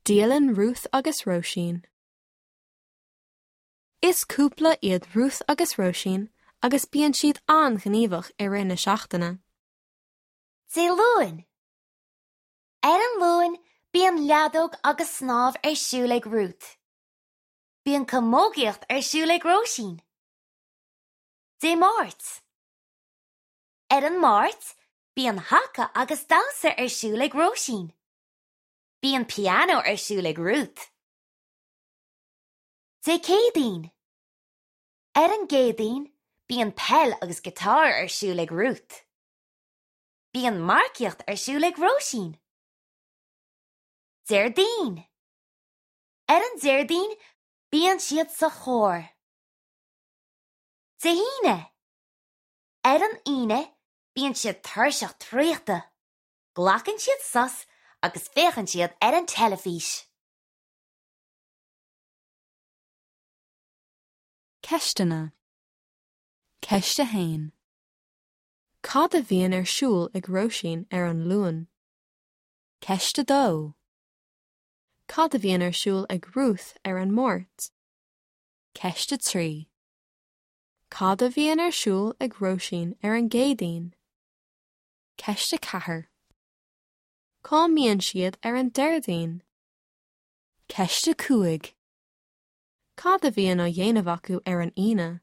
Dialann Ruth agus Róisín. Is cúpla iad Ruth agus Róisín agus bíonn siad an-ghníomhach i rith na seachtaine. Dé Luain. Ar an Luan bíonn leadóg agus snámh ar siúl ag Ruth. Bíonn camógaíocht ar siúl ag Róisín. Dé Máirt. Ar an Máirt bíonn haca agus damhsa ar siúl ag Róisín. Bíonn pianó ar siúl ag Ruth. Dé Céadaoin. Ar an gCéadaoin, bíonn peil agus giotár ar siúl ag Ruth. Bíonn marcaíocht ar siúl ag Róisín. Déardaoin. Ar an Déardaoin, bíonn siad sa chór. Dé hAoine. Ar an Aoine, bíonn siad tuirseach traochta. Glacann siad sos agus féachann siad ar an teilifís. Ceisteanna. Ceist 1. Cad a bhíonn ar siúl ag Róisín ar an Luan? Ceist 2. Cad a bhíonn ar siúl ag Ruth ar an Máirt? Ceist 3. Cad a bhíonn ar siúl ag Róisín ar an gCéadaoin? Ceist 4. Cá mbíonn siad ar an Déardaoin? Ceist 5. Cad a bhíonn á dhéanamh acu ar an Aoine?